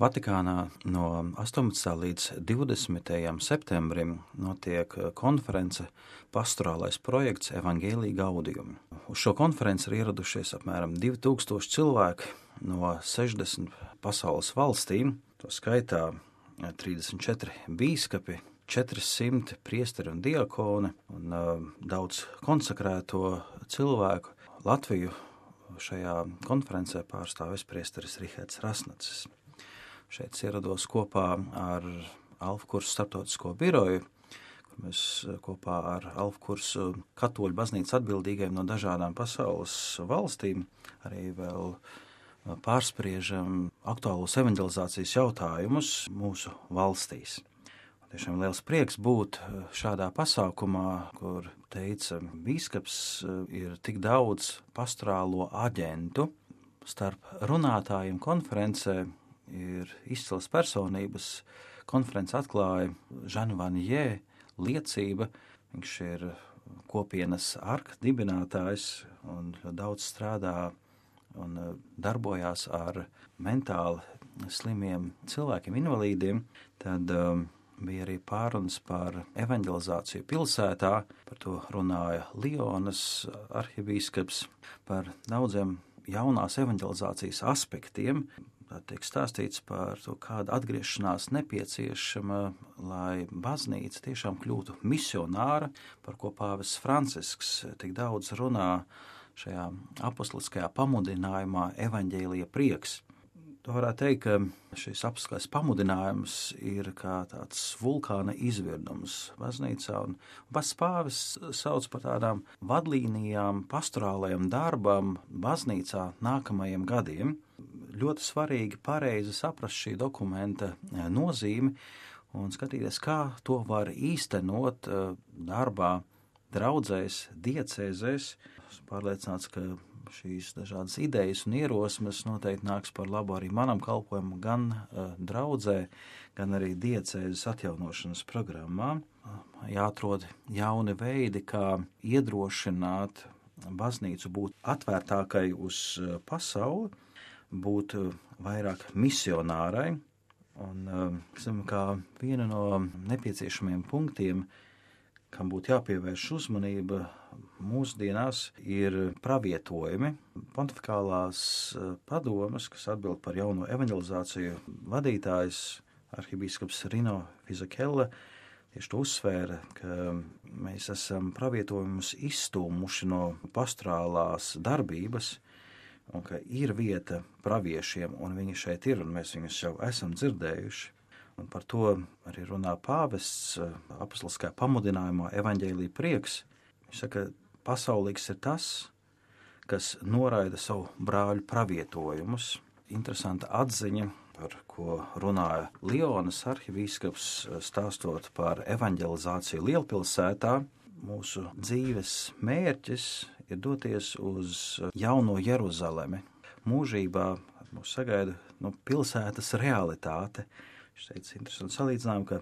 Vatikānā no 18. līdz 20. septembrim notiek konference Pastorālais projekts Evangelii Gaudium. Uz šo konferenci ir ieradušies apmēram 2000 cilvēki no 60 pasaules valstīm, to skaitā 34 bīskapi, 400 priesteri un diakoni un daudz konsekrēto cilvēku. Latviju šajā konferencē pārstāvis priesteris Rihards Rasnacis. Šeit ierados kopā ar Alfa kursu starptautisko biroju, kur mēs kopā ar Alfa kursu katoļu baznīcas atbildīgiem no dažādām pasaules valstīm arī vēl pārspriežam aktuālos evanģelizācijas jautājumus mūsu valstīs. Tiešām liels prieks būt šādā pasākumā, kur teica bīskaps, ir tik daudz pastorālo aģentu. Starp runātājiem konferencē ir izcils personības. Konference atklāja Žanu Vanjē liecība. Viņš ir kopienas arka dibinātājs un daudz strādā un darbojās ar mentāli slimiem cilvēkiem, invalīdiem. Tad bija arī pārunas par evanģelizāciju pilsētā, par to runāja Lionas arhibīskaps, par daudziem jaunās evanģelizācijas aspektiem. Tā tiek stāstīts par to, kāda atgriešanās nepieciešama, lai baznīca tiešām kļūtu misionāra, par ko pāvests Francisks tik daudz runā šajā apostoliskajā pamudinājumā Evaņģēlija prieks. To varētu teikt, ka šis apskats pamudinājums ir kā tāds vulkāna izvirdums baznīcā, un pats pāvests sauc par tādām vadlīnijām, pastorālajām darbām baznīcā nākamajiem gadiem. Ļoti svarīgi pareizi saprast šī dokumenta nozīmi un skatīties, kā to var īstenot darbā draudzēs, diecēzēs. Esmu pārliecināts, ka šīs dažādas idejas un ierosmes noteikti nāks par labu arī manam kalpojumam, gan draudzē, gan arī diecēzes atjaunošanas programmā. Jāatrod jauni veidi, kā iedrošināt baznīcu būt atvērtākai uz pasauli, būt vairāk misionārai. Un kā viena no nepieciešamiem punktiem, kam būtu jāpievērš uzmanība mūsdienās, ir pravietojumi. Pontifikālās padomes, kas atbild par jauno evanģelizāciju, vadītājs arhibīskaps Rino Fizakelle tieši to uzsvēra, ka mēs esam pravietojumus izstūmuši no pastorālās darbības un ka ir vieta praviešiem, un viņi šeit ir, un mēs viņus jau esam dzirdējuši. Un par to arī runā pāvests apostoliskajā pamudinājumā Evaņģēlija prieks. Viņš saka, pasaulīgs ir tas, kas noraida savu brāļu pravietojumus. Interesanta atziņa, par ko runāja Lionas arhibīskaps, stāstot par evaņģelizāciju lielpilsētā. Mūsu dzīves mērķis ir doties uz jauno Jeruzalemi. Mūžībā mūs sagaida pilsētas realitāte. Viņš teica interesantu salīdzinājumu, ka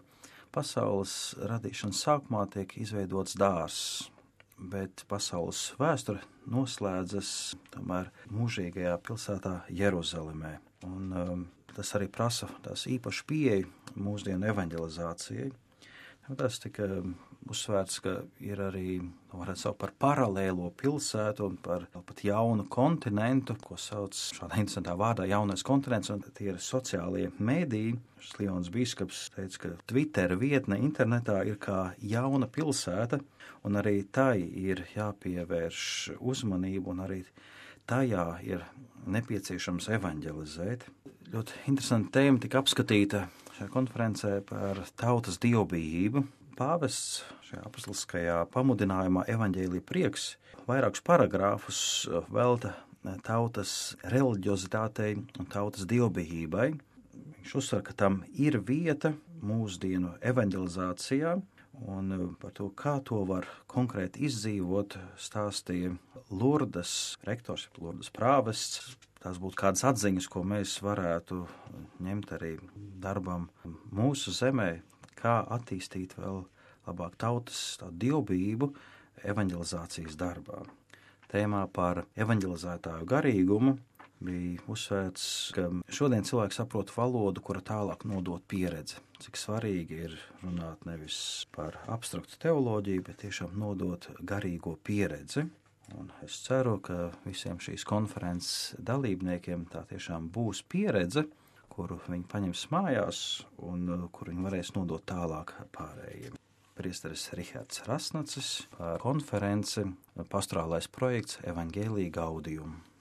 pasaules radīšanas sākumā tiek izveidots dārzs, bet pasaules vēsture noslēdzas tomēr mūžīgajā pilsētā Jeruzalemē. Un tas arī prasa tās īpašu pieeju mūsdienu evaņģelizācijai. Tas tika uzsvērts, ka ir arī, varētu saukt par paralēlo pilsētu un par pat jaunu kontinentu, ko sauc šādā interesantā vārdā jaunais kontinents, un tie ir sociālie mēdīji. Lionas bīskaps teica, ka Twitter vietne internetā ir kā jauna pilsēta, un arī tai ir jāpievērš uzmanību, un arī tajā ir nepieciešams evaņģelizēt. Ļoti interesanta tēma tika apskatīta šajā konferencē par tautas dievbijību. Pāvests šajā apostoliskajā pamudinājumā Evaņģēlija prieks vairākus paragrāfus velta tautas reliģiozitātei un tautas dievbijībai. Viņš uzsver, ka tam ir vieta mūsdienu evaņģelizācijā, un par to, kā to var konkrēti izdzīvot, stāstīja Lurdes rektors, Lurdes prāvests. Tās būtu kādas atziņas, ko mēs varētu ņemt arī darbam mūsu zemē, kā attīstīt vēl labāk tautas dievbijību evaņģelizācijas darbā. Tēmā par evaņģelizētāju garīgumu bija uzsvērts, ka šodien cilvēks saprot valodu, kura tālāk nodot pieredzi. Cik svarīgi ir runāt nevis par abstraktu teoloģiju, bet tiešām nodot garīgo pieredzi. Un es ceru, ka visiem šīs konferences dalībniekiem tā tiešām būs pieredze, kuru viņi paņems mājās un kuru viņi varēs nodot tālāk pārējiem. Priesteris Rihards Rasnacis par konferenci Pastorālais projekts Evangelii Gaudium.